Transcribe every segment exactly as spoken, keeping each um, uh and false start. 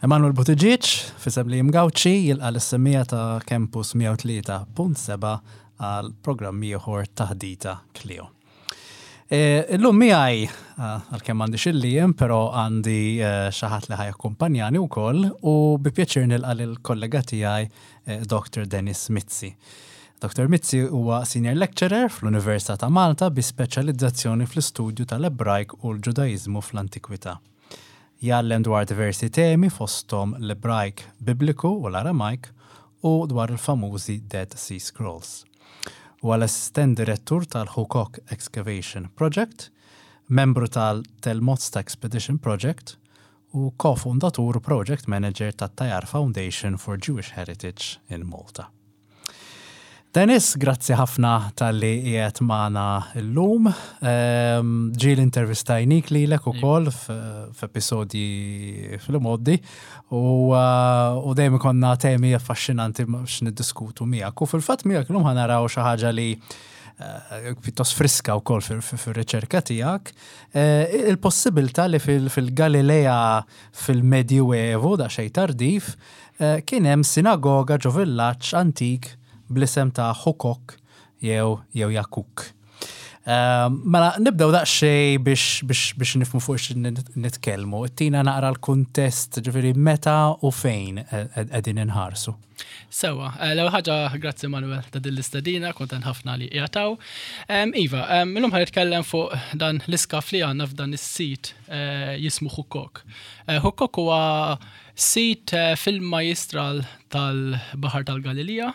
Emanuel Buttigieg, f'isem Liam Gauci, jilqa' lis-semmiegħa ta' Campus mija u tlieta punt sebgħa għal programm ieħor, Taħdita Klio. E, Illum miegħi, għalkemm m'għandix lil Liam, però għandi eh, xi ħadd li ħa jakkumpanjani wkoll u bi pjaċir nilqa' lill-kollega tiegħi eh, Doctor Dennis Mizzi. Doctor Mizzi huwa senior lecturer fl-Università ta' Malta bi speċjalizzazzjoni fl-istudju tal-Ebrajk u l-Ġudaiżmu fl-Antikwità. Jgħallem dwar diversi temi, fostom l-Ebrajk Bibliku u l-Aramajk u dwar il-famużi Dead Sea Scrolls. U l-assistent direttur tal-Hukok Excavation Project, membru tal-Tel Motza Expedition Project u ko-fundatur u project manager tat-Tayar Foundation for Jewish Heritage in Malta. Dennis, grazzi ħafna talli qiegħed magħna llum. Ehm, Ġieli intervistajnik lilek ukoll f'episodji fil-modi u uh, u dejjem konna temi affaxxinanti biex niddiskutu miegħek. U fil-fatt miegħek illum ħa naraw xi ħaġa li eh, pjuttost friska wkoll fir-riċerka tiegħek. Eh, Il-possibilità li fil- fil-Galilea fil-Medjuevu, da xejn tardiv, eh, kien hemm sinagoga ġo villaġġ antik bl-isem ta' Hukok jew jew Jakuk. Eh, Mela, nibdew daqsxejn biex, biex, biex nifhmu fuq x nitkellmu. Tina naqra l-kuntest, ġifieri meta u fejn qegħdin inħarsu. Sewa, eh, l-ewwel ħaġa, grazzi Manuel ta' din l-istedina, kontent ħafna li qiegħed. Iva, em, illum ħa nitkellem fuq dan l-iskav li għandna f'dan is-sit eh, jismu Hukok. Eh, Hukok huwa sit eh, fil-majjistral tal-Baħar tal-Galilija,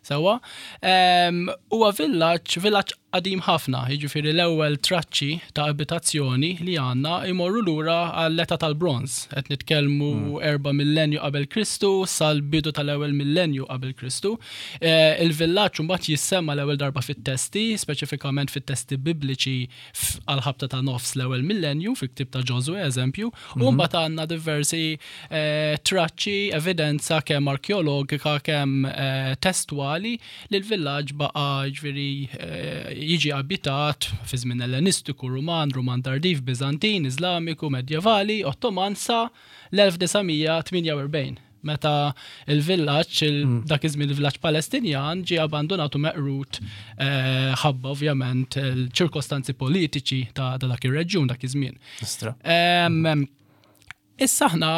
sewa. Em, Huwa villaġġ, villaġġ qadim ħafna, jiġifieri l-ewwel traċċi ta' abitazzjoni li għandna imorru lura għall-età tal-bronż. Qed nitkellmu erba' millenju qabel Kristu sal-bidu tal-ewwel millenju qabel Kristu. Eh, Il-villaġġ mbagħad jissemma l-ewwel darba fit-testi, speċifikament fit-testi bibliċi f- għal-ħabta ta' nofs l-ewwel millenju, fil-ktib ta' Ġożwè, eżempju, u mbagħad għandna diversi eh, traċċi, evidenza kemm arkeologika, kemm eh, testwali li l-villaġġ baqa', ġifieri, eh, jiġi abitat fi żmien Ellenistiku, Ruman, Ruman tardiv, Bizantin, Islamiku, Medjevali, Ottoman sa l-elf disa' mija tmienja u erbgħin, meta il-villaġġ, il dak iż-żmien il-villaġġ Palestinjan, ġie abbandonat u meqrut eh, ħabba ovvjament il-ċirkostanzi politiċi ta' ta' dak ir-reġjun dak iż-żmien. Istra. Em, Issa aħna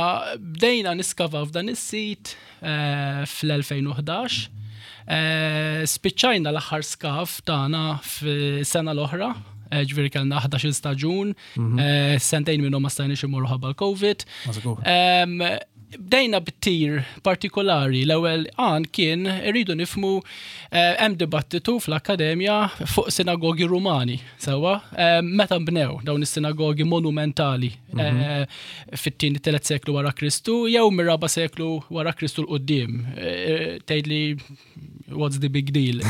bdejna niskavaw f'dan is-sit eh, fl-elfejn u ħdax. Eh, Spiċċajna l-aħħar skav tagħna fis-sena l-oħra, eh, ġifieri kellna ħdax-il staġun, eh, sentejn minnhom ma stajniex imorru ħabba l-Covid. Ma żgur. Em, Bdejna bit-tir partikolari. L-ewwel għan kien irridu nifhmu eh, hemm dibattitu fl-akkademja fuq sinagogi Rumani, sewwa, eh, meta nbnew dawn is-sinagogi monumentali, eh, fit-tieni tielet seklu wara Kristu jew mir-raba seklu wara Kristu 'l quddiem. Eh, Tgħidli what's the big deal?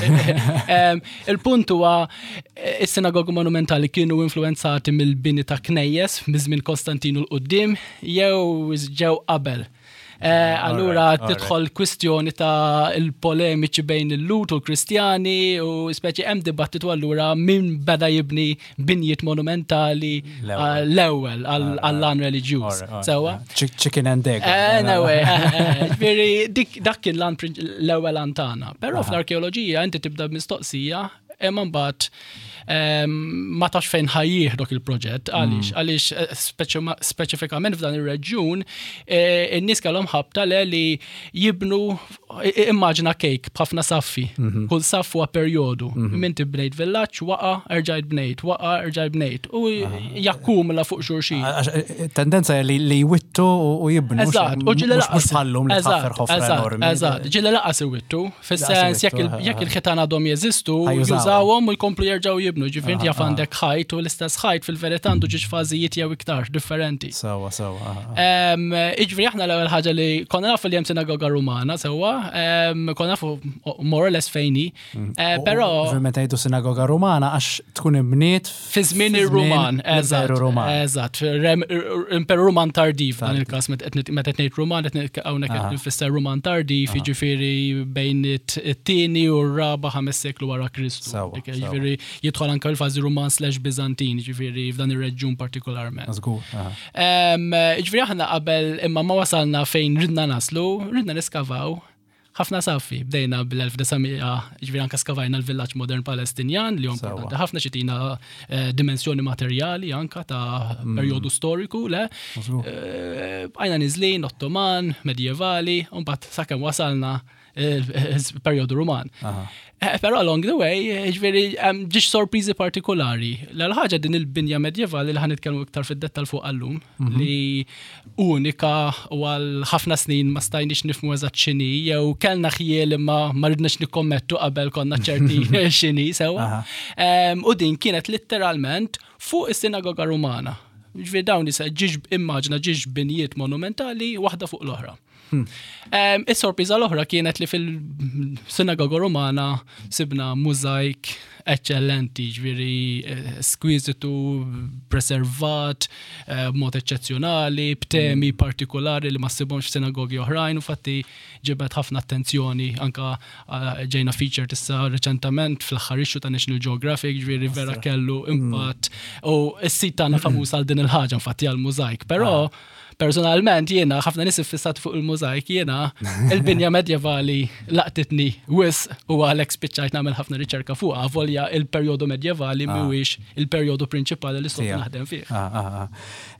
Em, Il-punt huwa eh, is-sinagogi monumentali kienu influenzati mill-bini ta' knejjes miż-żmien Konstantinu 'l quddiem jew ġew qabel. Eh, Allura Alright, alright. tidħol kwistjoni ta' il-polemiċi bejn il-Lhud u l-Kristjani u speċi hemm dibattitu allura min beda jibni binjiet monumentali L-ewwel. eh, l-ewwel għall-għan reliġjuż. Alright, alright. Sewwa? Chick- Chicken and egg. Eh, no way, eh, eh, ġifieri, dik dak kien l-għan prin- l-ewwel għan tagħna. Però fl-arkeoloġija inti tibda b'mistoqsija, imma mbagħad em, ma tafx fejn ħa jieħdok il-proġett. Għaliex? Għaliex eh, speċi- speċifikament f'dan ir-reġjun eh, in-nies kellhom ħabta le li jibnu, immaġina cake b'ħafna saffi. Kull saff huwa perjodu. Inti bnejt villaġġ, waqa, erġajt bnejt, waqa, erġajt bnejt. U jakkumula fuq xulxin. Għax, eh, Tendenza li li jwittu u u jibnu. Eżatt, u ġieli Mhux mhux bħallum li tħaffer Eżatt, ħofra eżatt, enormi. Eżatt, ġieli lanqas iwittu, fis-sens jekk il- iwittu, jekk il-ħitan għadhom jeżistu, Ħa jużawhom. jużawhom u jkomplu jerġgħu jibnu. Ġifieri inti jaf għandek ħajt u l-istess ħajt fil-verità għandu ġiex fażijiet jew iktar differenti. Sewwa, sewwa. aha, aha. Em, Iġifieri aħna l-ewwel ħaġa li konna nafu li hemm sinagoga Rumana, sewwa, em, konna nafu more or less fejn hi, eh, U- però Ovvjament ngħidu sinagoga Rumana għax tkun imbniet fi żmien ir-Ruman, eżatt, l-Imperu Ruman. eżatt, rem- Imperu Ruman tardiv F'dan il-każ meta qed ngħid Ruman, qed hawnhekk qed nfisser Ruman tardiv, jiġifieri bejn it-tieni u r-raba' ħames seklu wara Kristu. Jiġifieri jidħol anke l-fażi Ruman slash Bizantin, jiġifieri f'dan ir-reġjun partikolarment. Jiġifieri aħna qabel imma ma wasalna fejn ridna naslu, ridna niskavaw ħafna saffi. Bdejna bl-elf disa' mija, ġifieri anka skavajna l-villaġġ modern Palestinjan li importanti ħafna ċitina eh, dimensjoni materjali anka ta' mm. perjodu storiku, le. Eh, għajna niżlin, Ottoman, medjevali, u mbagħad sakemm wasalna il-perjodu Ruman. Eh, però along the way, ġifieri, ġiġ sorpriżi partikolari. L-ħaġa din il-binja medjevali li ħa nitkellmu iktar fid-dettal fuq għallum, mhm. li unika u għal ħafna snin ma stajniex nifhmu eżatt x'inhi, jew kellna ħjiel imma ma ridniex nikkommettu qabel konna ċerti x'inhi sewa. U din kienet literalment fuq is-sinagoga Rumana. Ġifieri dawn ġiġ immaġina ġiġ binjiet monumentali waħda fuq l-oħra. Hmm. Is-sorpriża l-oħra kienet li fil-sinagoga Romana sibna mużajk eccellenti, ġifieri eh, eskwizitu, preservat, eh, b'mod eċċezzjonali, b'temi hmm. partikolari li ma ssibhomx f'sinagogi oħrajn, u fatti ġibet ħafna attenzjoni, anka eh, ġejna feature tissa reċentament fl-aħħar issue ta' National Geographic, ġifieri vera kellu hmm. impatt. U s-sit tagħna famuż għal din il-ħaġa, infatti għal mużajk, però ah. personalment jiena, ħafna nies iffissat fuq il-mużajk, jiena il-binja medjevali laqtitni wisq u għalhekk spiċċajt nagħmel ħafna riċerka fuq, avolja il-perjodu medjevali ah. mhuwiex il-perjodu prinċipali li sot naħdem fih. Ah,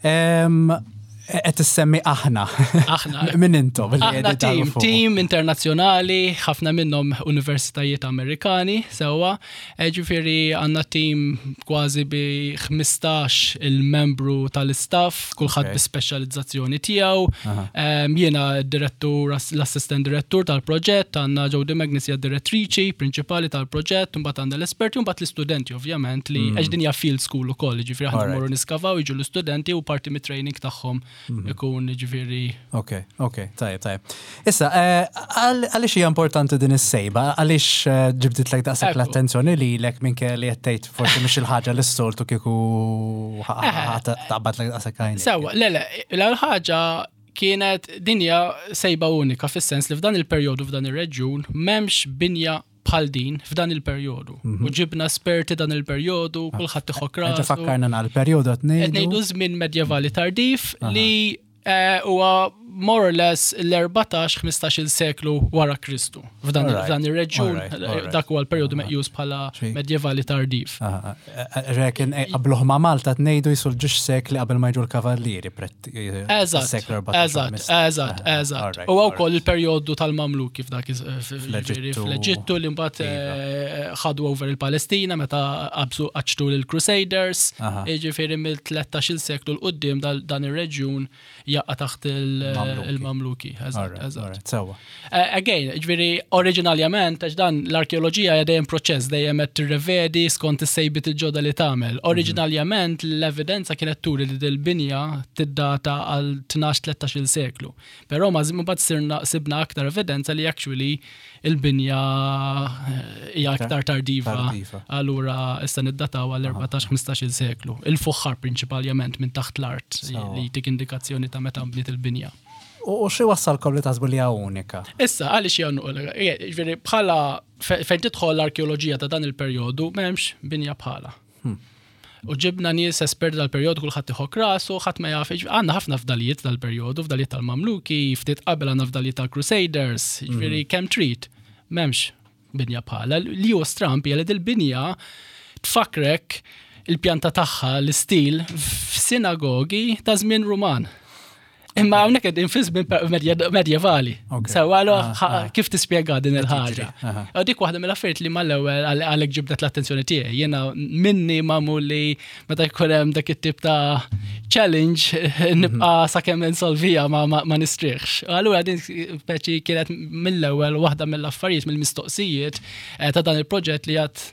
ah, Qed issemmi aħna. Aħna. Min intom? Aħna team, team internazzjonali, ħafna minnhom universitajiet Amerikani, sewwa. E, ġifieri għandna team kważi bi ħmistax il-membru tal-istaff, kulħadd bi speċjalizzazzjoni tiegħu. Jiena direttur, l-assistent direttur tal-proġett, għandna Jody Magnus hija direttriċi prinċipali tal-proġett, mbagħad għandna l-esperti u mbagħad l-istudenti ovvjament li mm. għax din hija field school ukoll, ġifieri aħna mmorru niskavaw, jiġu l-istudenti u parti mit-training tagħhom mhm. ikun ġifieri. Ok, ok, tajjeb, tajjeb. Issa, eh, għaliex hija importanti din is-sejba? Għaliex eh, ġibditlek daqshekk l-attenzjoni lilek minn li qed tgħid forsi mhix il-ħaġa li s-soltu kieku taqbadlek daqshekk għajnek? Sewwa, le le, l-ħaġa kienet dinja sejba unika fis-sens li f'dan il-perjodu f'dan ir-reġjun m'hemmx binja bħal din f'dan il-perjodu. Mhm. U ġibna esperti dan il-perjodu, kulħadd iħokk rasu. Fakkarna għal-perjodu qed ngħidu. Ngħidu żmien medjevali tardif li eh, huwa more or less l-erbatax ħmistax seklu wara Kristu. F'dan ir-reġjun dak huwa l-perjodu meqjus bħala medjevali tardiv. Rekin eh, qabluh ma' Malta tnejdu jisul ġiex sekli qabel ma jiġu l-kavallieri. Eżatt, eżatt, eżatt, eżatt. U wkoll il-perjodu tal-Mamluki f'dak fl-Eġittu li mbagħad iva. eh, ħadu over il-Palestina meta qabżu qaċċtu l-Crusaders, jiġifieri mill-tlettax-il seklu 'l quddiem dan ir-reġjun jaqa' taħt il-Mamluki. Eżatt. Eh, again, ġifieri, oriġinarjament, għax dan l-arkeoloġija hija dejjem proċess, dejjem qed tirrevedi skont is-sejbiet il-ġodda li tagħmel. Mhm. Oriġinarjament l-evidenza kienet turi li dil-binja tiddata għal tnax tlettax seklu. Però ma mbagħad sirna sibna aktar evidenza li actually il-binja eh, hija aktar tardiva. Allura issa niddataw għal erbatax ħmistax seklu. Il-fuħħar prinċipalment minn taħt l-art li tik indikazzjoni ta' meta nbniet il-binja. U xi wassalkom li taħsbu li hija unika? Issa, għaliex hija unika? Ġifieri bħala fejn tidħol l-arkeoloġija ta' dan il-perjodu m'hemmx binja bħala. Hmm. U ġibna nies esperti dal-perjodu, kulħadd iħokk rasu, ħadd ma jaf, għandna ħafna fdalijiet dal-perjodu, fdalijiet tal-Mamluki, ftit qabel għandna fdalijiet tal-Crusaders, ġifieri hmm. kemm trid, m'hemmx binja bħala. Li hu stramp hija li dil-binja tfakrek il-pjanta tagħha, l-istil f'sinagogi ta' żmien Ruman. Imma hawnhekk qegħdin fi żmien medjevali. Sewa ah, ah. kif tispjega din il-ħaġa? Dik waħda mill-affarijiet li mal-ewwel għalhekk ġibdet l-attenzjoni tiegħi. Jiena minni magħmul li meta jkun hemm dak it-tip ta' challenge nibqa' mhm. sakemm insolvija ma, ma nistrieħx. Allura din speċi kienet mill-ewwel waħda mill-affarijiet, mill-mistoqsijiet eh, ta' dan il-proġett li għat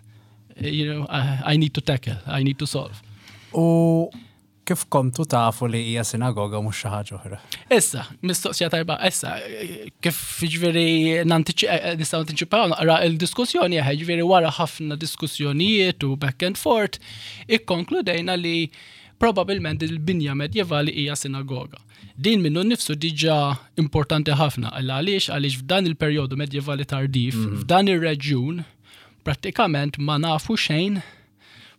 you know, I need to tackle, I need to solve. U kif kontu tafu li hija sinagoga mhux xi ħaġa oħra? Issa, mistoqsija tajba, issa, kif ġifieri nistgħu nantiċipaw naqra il-diskussjoni, ġifieri wara ħafna diskussjonijiet u back and forth, ikkonkludejna li Probabilment il-binja medjevali hija sinagoga. Din minnu nifsu diġà importanti ħafna, għaliex għaliex f'dan il-perjodu medjevali tardiv, mm. f'dan ir-reġjun, prattikament ma nafu xejn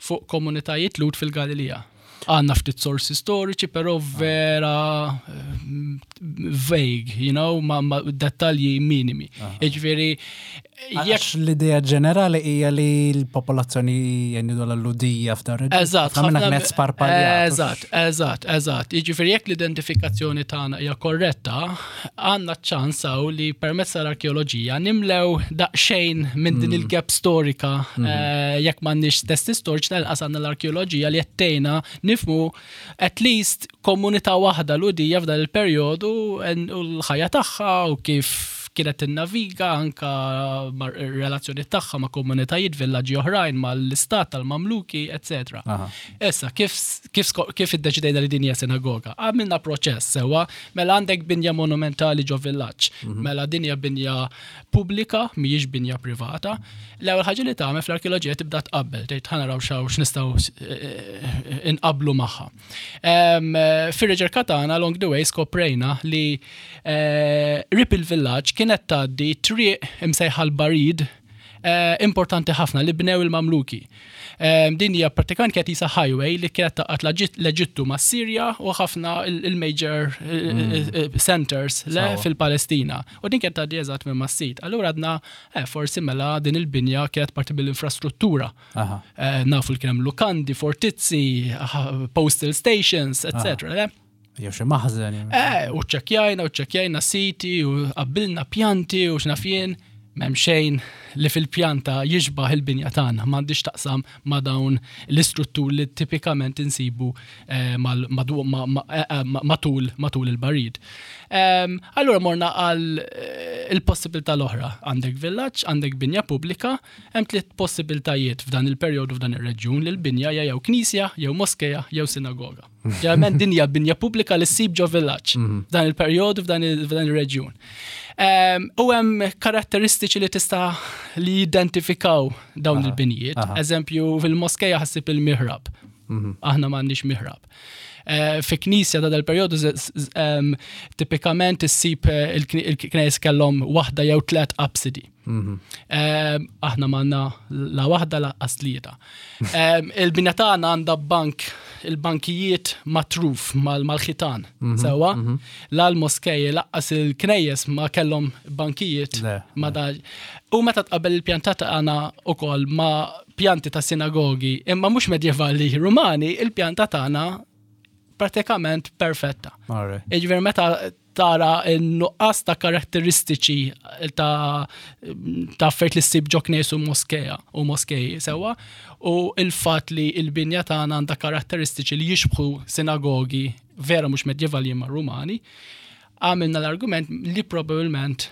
fuq komunitajiet Lhud fil-Galilija. Għandna ftit sorsi storiċi, però vera eh, vague, you know, ma, ma dettalji minimi. Jiġifieri, jekk l-idea ġenerali hija li l-popolazzjoni jennidu l-Lhudija f'dan reġjun. Eżatt, ħafna kienet sparpaljat. Eżatt, eżatt, eżatt. Jiġifieri jekk l-identifikazzjoni tagħna hija korretta, għandna ċans hawn li permezz tal-arkeoloġija nimlew daqsxejn minn din mm. il-gap storika mm. eh, jekk m'għandniex testi storiċi, tal-inqas għandna l-arkeoloġija li qed tgħinna nifhmu at least komunità waħda Lhudija f'dan il-perjodu u l-ħajja tagħha u kif kienet tinnaviga anka relazzjoni tagħha ma' komunitajiet, villaġġi oħrajn, mal-istat tal-Mamluki, eċċetera. Issa, kif kif kif iddeċidejna li din hija sinagoga? Għamilna proċess sewwa, mela għandek binja monumentali ġo villaġġ, mhm. mela din hija binja pubblika, mhijiex binja privata. L-ewwel ħaġa li tagħmel fl-arkeoloġija, tibda tqabbel, tgħid ħa naraw xaw x'nistgħu eh, inqablu magħha. Fir-riċerka tagħna along the way skoprejna li eh, qrib il-villaġġ kienet tgħaddi triq imsejħa l-Barid eh, importanti ħafna li bnew il-Mamluki. Din hija pratikament kienet qisha highway li kienet tgħaqqad l-Eġittu ma' Sirja u ħafna il-major mm. centers le fil-Palestina. U din kienet tgħaddi eżatt minn mas-sit. Allura għedna eh, forsi mela din il-binja kienet parti mill-infrastruttura. Eh, nafu li kien hemm lukandi, fortizzi, postal stations, et cetera. Jew xi maħżen. Eh, u ċċekkjajna, u ċċekkjajna siti, u qabbilna pjanti u x'naf jien, m'hemm xejn li fil-pjanta jixbaħ il-binja tagħna, m'għandix taqsam ma' dawn l-istrutturi li tipikament insibu eh, eh, eh, matul matul il-barid. Allura morna għal il-possibilità l-oħra. Għandek villaġġ, għandek binja pubblika, hemm tliet possibiltajiet f'dan il-perjodu f'dan ir-reġjun li l-binja hija jew knisja, jew moskeja, jew sinagoga. Ġeneralment din hija binja pubblika li ssib ġo villaġġ mhm. f'dan il-perjodu f'dan il-reġjun. U hemm karatteristiċi li tista' li jidentifikaw dawn il-binjiet. Eżempju, fil-moskeja ħa ssib il-mihrab. Mhm. Aħna m'għandniex mihrab. Eh, fi knisja ta' dal-perjodu tipikament issib eh, il-knejjes kellhom waħda jew tlet absidi. Mhm. Aħna m'għandna la waħda lanqas tlieta. Il-binja tagħna għandha bank, il-bankijiet matruf mal-ħitan. Mhm, Sewwa, mhm. la l-moskeji lanqas il-knejjes ma kellhom bankijiet ma da. U meta tqabbel il-pjanta tagħna ukoll ma' pjanti ta' sinagogi, imma mhux medjevali Rumani, il-pjanta tagħna pratikament perfetta. Jiġifieri meta tara n-nuqqas ta' karatteristiċi ta' ta' affarijiet li ssib ġo knejjes u moskeja u moskeji sewwa u il-fatt li il-binja tagħna għandha karatteristiċi li jixbħu sinagogi vera mhux medjevali imma Rumani, għamilna l-argument li probabbilment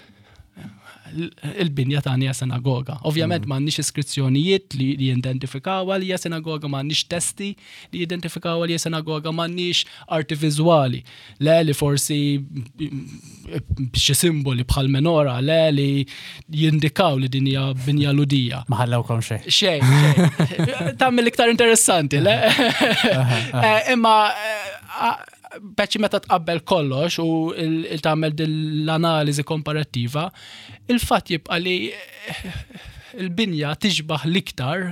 il-binja tagħna hija sinagoga. Ovvjament mm. m'għandniex iskrizzjonijiet li jidentifikaw li hija sinagoga, m'għandniex testi li jidentifikaw li hija sinagoga, m'għandniex arti viżwali. Le li forsi xi simboli bħal menora, le li jindikaw li din hija binja Lhudija. Ma ħallewkom xejn. Xejn, xejn. Tagħmel iktar interessanti, le? Eh, imma eh, beċi meta tqabbel kollox u tagħmel l-analiżi komparattiva, il-fatt jibqa' li il-binja tixbaħ l-iktar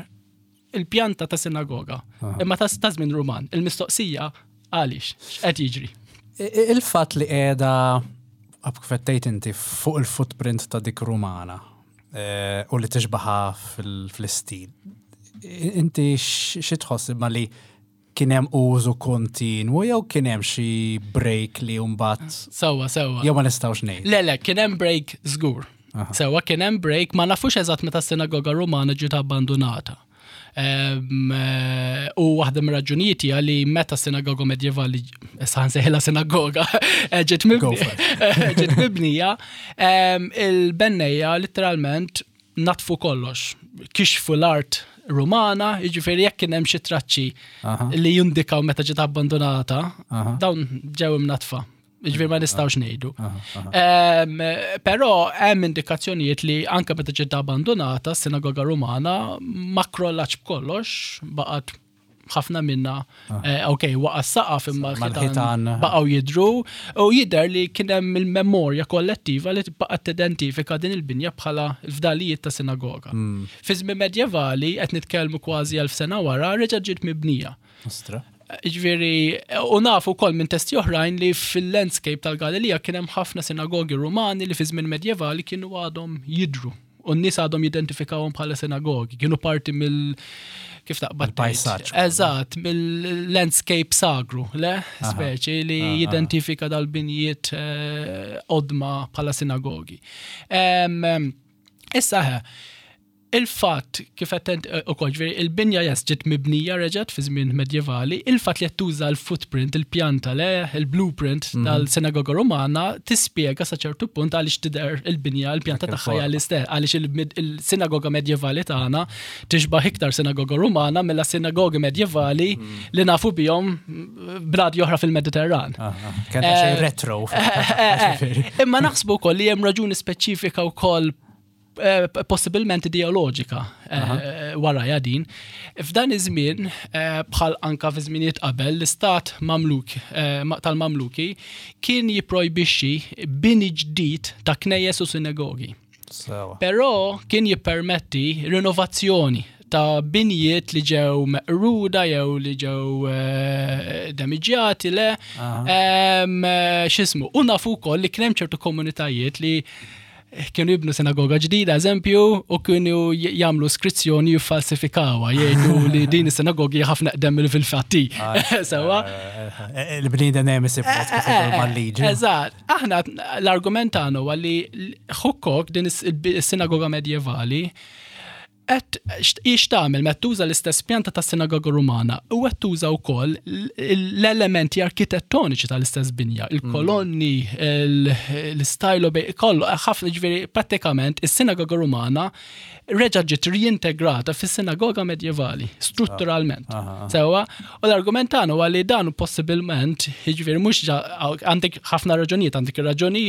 il-pjanta ta' sinagoga. Imma ta' żmien Ruman. Il-mistoqsija għaliex, x'qed jiġri? Il-fatt li qiegħda kif inti fuq il-footprint ta' dik Rumana eh, u li tixbaħa fl-istil. Inti xi tħoss ma li kien hemm użu kontinwu jew kien hemm xi break li mbagħad Sewwa, sewwa. Jew ma nistgħux ngħid? Le, le, kien hemm break żgur. Sewwa, kien hemm break, ma nafux eżatt meta s-sinagoga Rumana ġiet abbandonata. Eh, u waħda mir-raġunijiet hija li meta sinagoga medjevali, issa nsejħilha sinagoga, eh, ġiet ġiet mibnija, il-bennejja literalment natfu kollox, kixfu l-art Rumana, jiġifieri jekk kien hemm xi traċċi li jindikaw meta ġiet abbandonata, dawn ġew imnatfa. Jiġifieri ma nistgħux ngħidu. Però hemm indikazzjonijiet li anke meta ġiet abbandonata, s-sinagoga Rumana ma krollatx b'kollox, baqgħet Ħafna minna, eh, ok, waqa' saqaf imma Ma l-ħitan l-ħitan- baqgħu jidru u jidher li kien hemm il-memorja kollettiva li baqgħet tidentifika din il-binja bħala l-fdalijiet ta' sinagoga. Fi żmien medjevali, qed nitkellmu kważi elf sena wara, reġa' ġiet mibnija. Ostra. Ġifieri, u nafu wkoll minn testi oħrajn li fil-landscape tal-Galilija kien hemm ħafna sinagogi Rumani li fi żmien medjevali kienu għadhom jidru. U n-nies għadhom jidentifikawhom bħala sinagogi, kienu parti mill kif taqbad tgħid? Mill-pajsaġġ. Eżatt, mill-landscape sagru, le? Speċi li jidentifika dal-binjiet eh, qodma bħala sinagogi. Em, em, Issa ħe, il-fatt kif qed ukoll, ġifieri il-binja jes ġiet mibnija reġgħet fi żmien medjevali, il-fatt li qed tuża l-footprint, il-pjanta le, il-blueprint tal-sinagoga Romana tispjega sa ċertu punt għaliex tidher il-binja, il-pjanta Dak tagħha hija il-forma. l-istess, għaliex il- il-sinagoga medjevali tagħna tixbaħ iktar sinagoga Romana milla sinagogi medjevali li nafu bihom bnadi oħra fil-Mediterran. Kien xejn Eh, retro. Eh, eh, Imma naħsbu wkoll li hemm raġuni speċifika wkoll eh, possibilment ideoloġika eh, wara din. F'dan iż-żmien, eh, bħal anka fi żminijiet qabel, l-istat Mamluk eh, ma- tal-Mamluki kien jipprojbixxi bini ġdid ta' knejjes u sinagogi. Sewa. Però kien jippermetti rinnovazzjoni ta' binjiet li ġew meqruda jew li ġew eh, damiġġjati le. Em, eh, X'ismu, u nafu wkoll li kien hemm ċertu komunitajiet li kienu jibnu sinagoga ġdida, eżempju, u kienu j- jagħmlu skrizzjoni jiffalsifikawha, jgħidu li din is-sinagogi ħafna qdem mill fil-fatti. Sewa. Il-bniedem dejjem isib mod kif idur mal-liġi. Eżatt, aħna l-argument tagħna huwa li Ħukkok, din is- is-sinagoga medjevali, qed ix tagħmel meta tuża l-istess pjanta tas-sinagoga Rumana u qed tuża wkoll l-elementi arkitettoniċi tal-istess binja, il-kolonni, l-istajlo, kollu, ħafna, ġifieri prattikament is-sinagoga Rumana reġa' ġiet riintegrata fis-sinagoga medjevali strutturalment. Sewa, u l-argument tagħna huwa li dan possibilment, jiġifieri mhux għandek ħafna raġunijiet, għandek raġuni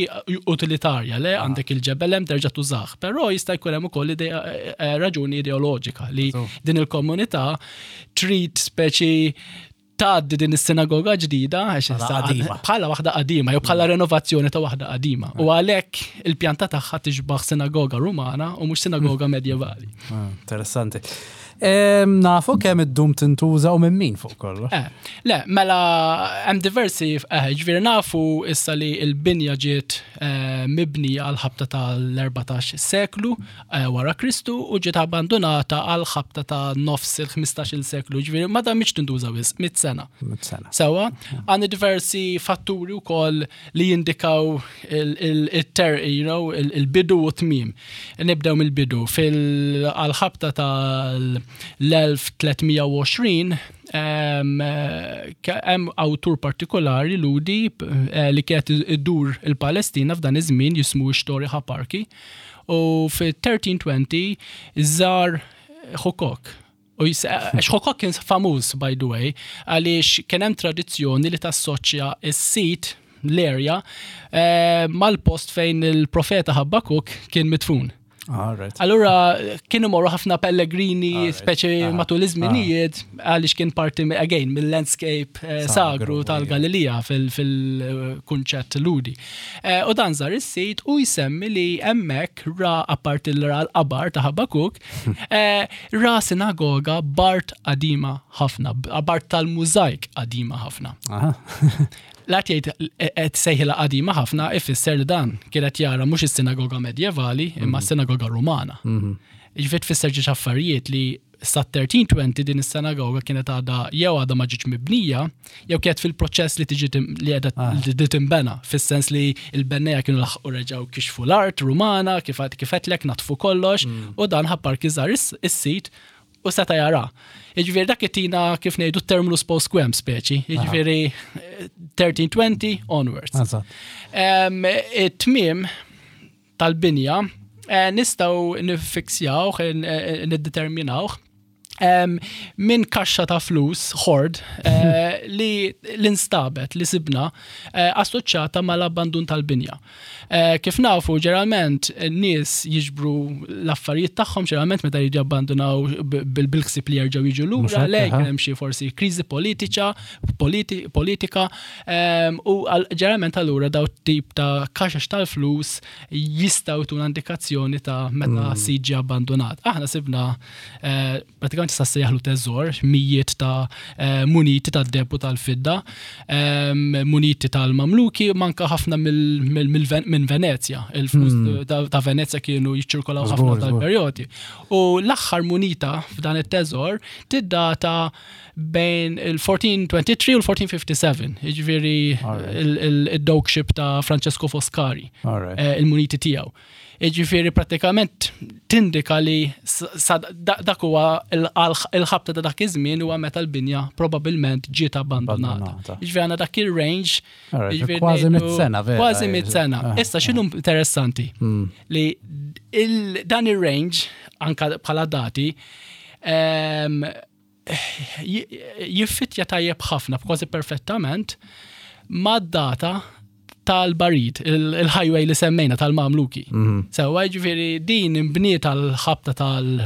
utilitarja, le, għandek il-ġebel hemm, terġa' tużah, però jista' jkun hemm ukoll eh, raġuni ideoloġika li din il-komunità trid speċi tgħaddi din is-sinagoga ġdida bħala waħda qadima jew bħala renovazzjoni ta' waħda qadima. U għalhekk il-pjanta tagħha tixbaħ sinagoga Rumana u mhux sinagoga medjevali. Ah, interessanti. Nafu kemm iddum tintuża u minn min fuq kollox? Eh, le, mela hemm diversi, eh, ġifieri nafu issa li l-binja ġiet eh, mibnija għal ħabta tal-erbatax seklu wara Kristu u ġiet abbandonata għal ħabta ta' nofs il-ħmistax-il seklu, ġifieri ma damitx tintuża wisq, mitt sena. Mitt sena. Sewa, għandna diversi fatturi wkoll li jindikaw il-ter, you know, il-bidu u tmiem. Nibdew mill-bidu. Fil-ħabta tal-elf tliet mija u għoxrin hemm awtur partikolari Lhudi eh, li kienet iddur il-Palestina f'dan iż-żmien jismu Xtori Ħaparki u fi elf tliet mija u għoxrin żar Ħukok. U Ħukok kien famuż, by the way, għaliex kien hemm tradizzjoni li tassoċja is-sit, l-area, eh, mal-post fejn il-profeta Habakuk kien midfun. Allura kienu morru ħafna pellegrini, speċi matul iż-żminijiet, għaliex kien parti again mill-landscape eh, sagru tal-Galilija fil-kunċett Lhudi. Eh, u dan żar is-sit u jsemmi li hemmhekk ra, apparti l ra l-qabar ta' Habakuk, eh, ra sinagoga b'art qadima ħafna, b'art tal-mużajk qadima ħafna. La jgħid qed sejħilha qadima ħafna, ifisser li dan kienet jara mhux is-sinagoga medjevali imma mhm. s-sinagoga Rumana. Mhm. Ġifieri tfisser ġiex affarijiet li sa elf tliet mija u għoxrin din is-sinagoga kienet għadha jew għadha ma ġietx mibnija jew kienet fil-proċess li tiġi li qiegħda ah. li tinbena, fis-sens li l-benneja kienu laħqu reġgħu kixfu l-art Rumana, kif kif natfu kollox, mm. u dan Ħaparki żar is-sit u seta jara. Jiġifieri dak itina, kif ngħidu, terminus post quem speċi, jiġifieri elf tliet mija u għoxrin onwards. It-tmiem tal-binja eh, nistgħu nifiksjawh, eh, niddeterminawh Em, minn kaxxa ta' flus, hoard, eh, li l-instabet, li sibna, eh, assoċjata mal-abbandun tal-binja. Eh, kif nafu, ġeneralment, n-nies jiġbru l-affarijiet tagħhom ġeneralment meta jiġu abbandunaw bil-ħsieb li jerġgħu jiġu Mhux lura, hekk, le aha. hemm xi forsi kriżi politiċa, politi, politika, em, u għal- ġeneralment allura daw tip ta' kaxax tal-flus jistgħu tuna indikazzjoni ta' meta mm. sit ġie abbandonat. Aħna sibna eh, pratikament sa sejjaħlu teżor, mijiet ta' eh, muniti ta' deheb u tal-fidda, em, muniti tal-Mamluki, manka ħafna mill- mill- mill- minn Venezja. Il-flus Mm. ta' ta' Venezja kienu jiċċirkolaw Żgur, ħafna żgur. tal-perjodi. U l-aħħar munita f'dan it-teżor tiddata bejn il-elf erba' mija u tlieta u għoxrin u l-elf erba' mija u sittin u sebgħa, jiġifieri Alright. il-dogeship ta' Francesco Foscari, All right. eh, il-muniti tiegħu. Jiġifieri pratikament tindika li s- sa da- dak huwa il- il-ħabta ta' dak iż-żmien huwa meta l-binja probabbilment ġiet abbandonata. Abbandonata. Jiġifieri għandna dak il-range. All right, jiġifieri kważi ngħidu- mitt sena, vera. Kważi mitt sena. Ah, Issa x'inhu interessanti? Mm. Li il- dan il-range, anka bħala dati, em, ji- jiffitja tajjeb ħafna, kważi perfettament, mad-data tal-barid, il- il-highway li semmejna tal-Mamluki. Mhm. Sewa ġifieri din imbniet tal-ħabta tal-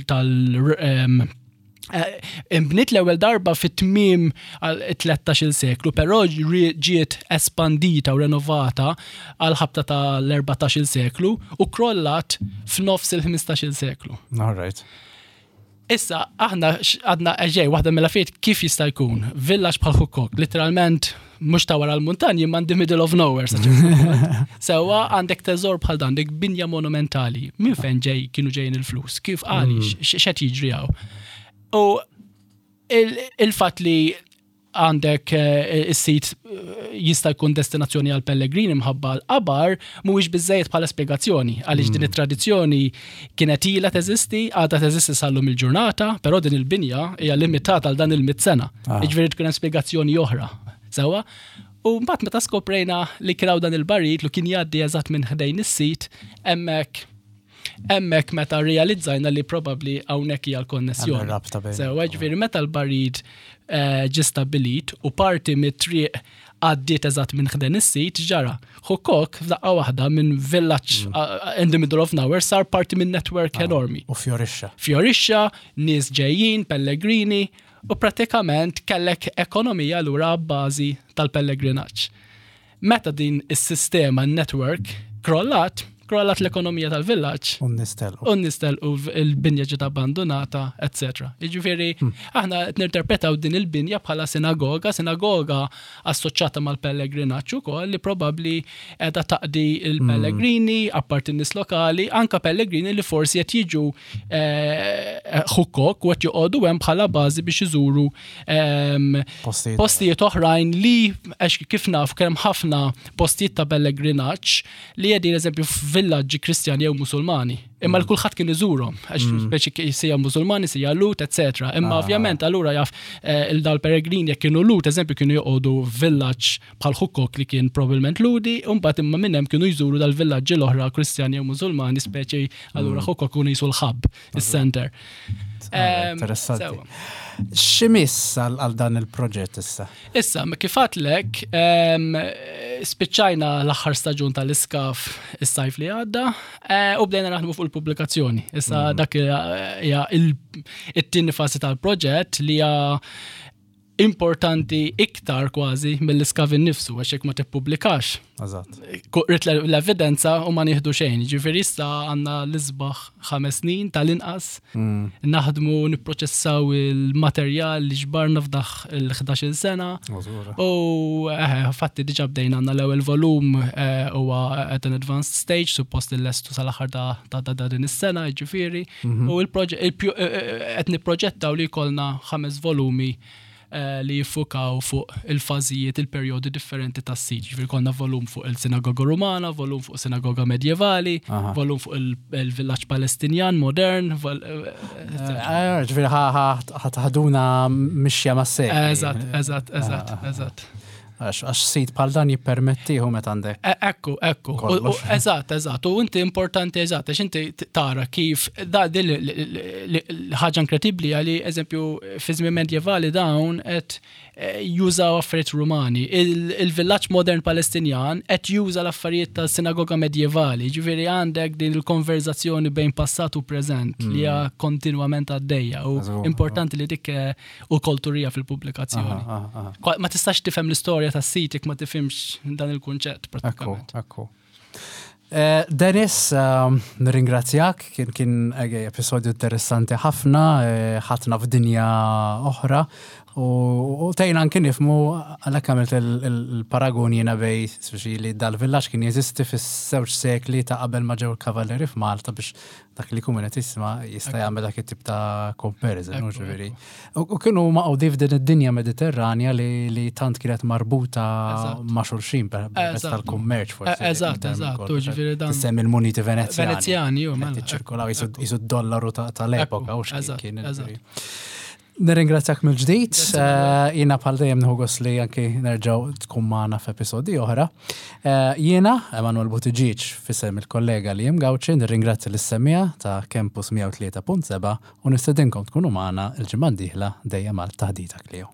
tal- em, eh, imbniet l-ewwel darba fit-tmiem għal tlettax-il seklu, però ġi- ġiet espandita u renovata għal ħabta tal-erbatax-il seklu u krollat f'nofs il-ħmistax-il seklu. All right. Issa, aħna x- għadna eġej, waħda mill-affarijiet kif jista' jkun, villaġġ bħal Hukkok, literalment mhux ta' wara l-muntanji, ma in the middle of nowhere. sa ċertu punt. Sewa għandek teżor bħal dan, għandek binja monumentali. Minn fejn ġej kienu ġejjin il-flus? Kif għaliex? X'qed jiġri hawn? U il- il-fatt li għandek eh, is-sit eh, jista' jkun destinazzjoni għal pellegrini mħabba l-qabar mhuwiex biżejjed bħala spjegazzjoni għaliex din it-tradizzjoni kienet ilha teżisti, għadha teżisti sal-lum il-ġurnata, però din il-binja hija limitata għal dan il-mitt sena. Ah. Jiġifieri tkun hemm spjegazzjoni oħra. Sewa? U mbagħad meta skoprejna li kien hawn dan il-barit li kien jgħaddi eżatt minn ħdejn is-sit, hemmhekk hemmhekk meta realizzajna li probabbli hawnhekk hija l-konnessjoni. Hemm rabta bejn. Sewa, ġifieri meta l-barid eh, ġie stabbilit u parti mit-triq għaddiet eżatt minn ħdejn is-sit ġara. Hukkok f'daqqa waħda minn village uh, in the middle of nowhere sar parti minn network enormi. U fjorixxa. Fjorixxa, nies ġejjin, pellegrini, u pratikament kellek ekonomija lura bażi tal-pellegrinaġġ. Meta din is-sistema network krollat, krollat l-ekonomija tal-villaġġ, U nistelqu. u nistel u il-binja ġiet abbandonata, et cetera. Jiġifieri, aħna qed ninterpretaw din il-binja bħala sinagoga, sinagoga assoċjata mal-pellegrinaġġ ukoll li probabbli qiegħda taqdi il-pellegrini, apparti n-nies lokali, anka pellegrini li forsi qed jiġu eh, Hukkok u qed joqogħdu hemm bħala bażi biex iżuru ehm, Postijiet. postijiet oħrajn li għax kif naf kemm ħafna postijiet ta' pellegrinaġġ li qegħdin eżempju f'villaġġi Kristjani jew Musulmani. Imma l-kulħadd kien iżurhom, għax speċi ki- sija Musulmani, sija Lhud, et cetera. Imma Ah. ovvjament allura jaf eh, il-dal peregrini jekk kienu Lhud, eżempju kienu joqogħdu villaġġ bħal Hukkok li kien probabbilment Lhudi, u mbagħad imma minn hemm kienu jżuru dal-villaġġi l-oħra Kristjani jew Musulmani, speċi allura Hukkok kienu jisu l-hub, is-center. Ah, Em, Interessanti. sewa. X'imiss għal għal dan il-proġett issa? Issa, kif għedtlek, em, spiċċajna l-aħħar staġun tal-iskav is-sajf li għadda, eh, u bdejna naħdmu fuq il-pubblikazzjoni. Issa dak hija il- it-tieni fażi tal-proġett li hija importanti iktar kważi mill-iskav innifsu, għax jekk ma tippubblikax. Eżatt. Rit l-evidenza u ma nieħdu xejn. Ġifieri issa għandna l-isbaħ ħames snin tal-inqas naħdmu nipproċessaw il-materjal li ġbarna f'daħ il-ħdax-il sena. U eh, fatti diġa bdejna għandna l-ewwel volum eh, huwa at an advanced stage, suppost il-lestu sal-aħħar ta' ta' ta' din is-sena, ġifieri. U il-proġett qed nipproġettaw li jkollna ħames volumi eh, li jiffukaw fuq il-fażijiet, il-perjodi differenti tas-sit. Ġifieri konna volum fuq il-sinagoga Rumana, volum fuq sinagoga medjevali, Aha. volum fuq il- il-villaġġ Palestinjan modern, vol- eh, Eh, Ġifieri ħa taħduna mixja ma' sej. Eżatt, eżatt, eżatt, eżatt. Għax għax sit bħal dan jippermettihu meta għandek. E- Ekku, ekku. U- u- Kollox. Eżatt, eżatt. U inti importanti, eżatt, għax inti t- tara kif da din li- li- li- ħaġa inkredibbli għali, eżempju, fi żmien medjevali dawn qed eh, jużaw affarijiet Rumani. Il- Il-villaġġ modern Palestinjan qed juża l-affarijiet tas-sinagoga medjevali. Ġifieri għandek din il-konverzazzjoni bejn passat u preżent li hija kontinwament għaddejja u Eżatt. importanti li dik eh, u kulturija fil-pubblikazzjoni. Aha, aha, aha. Kwa- Ma tistax tifhem l-istorja tas-sit jekk ma tifhimx dan il-kunċett Ekku, pratikament. ekku. Eh, Dennis, um, nirringrazzjak, kien kien eh, episodju interessanti ħafna, eh, ħadna f'dinja oħra u u tgħinna anki nifhmu għalhekk għamilt il- il- il-paragun jiena bejn speċi li dal-villaġġ kien jeżisti fis-żewġ sekli ta' qabel ma ġew il-kavalleri f'Malta biex dak li jkun qed jisma' jista' jagħmel dak it-tip ta' comparison, Ekku, ġifieri. U u kienu maqgħudin f'din id-dinja Mediterranja li, li tant kienet marbuta Eżatt. ma' xulxin per permezz Eżatt. tal-kummerċ forsi. Eh, eżatt, eżatt, u ġifieri dan- Tissemmi il-muniti Venezjani. Venezjani, ju, mela. Qed jiċċirkolaw qisu d-dollaru ta- tal-epoka Ekku, u x'kien eżatt, kien. eżatt. ġifieri. Nirringrazzjak mill-ġdid, Grazzi, eh, jiena bħal dejjem nieħu gost li anki nerġgħu tkun magħna f'episodji oħra. Eh, Jiena, Emanuel Buttigieg, f'isem il-kollega li jem Gawċi, nirringrazzja lis-semmiegħa ta' Campus mija u tlieta punt seba' u nistedinkom tkunu magħna il-ġimgħa d-dieħla dejjem għal Taħdita Klio.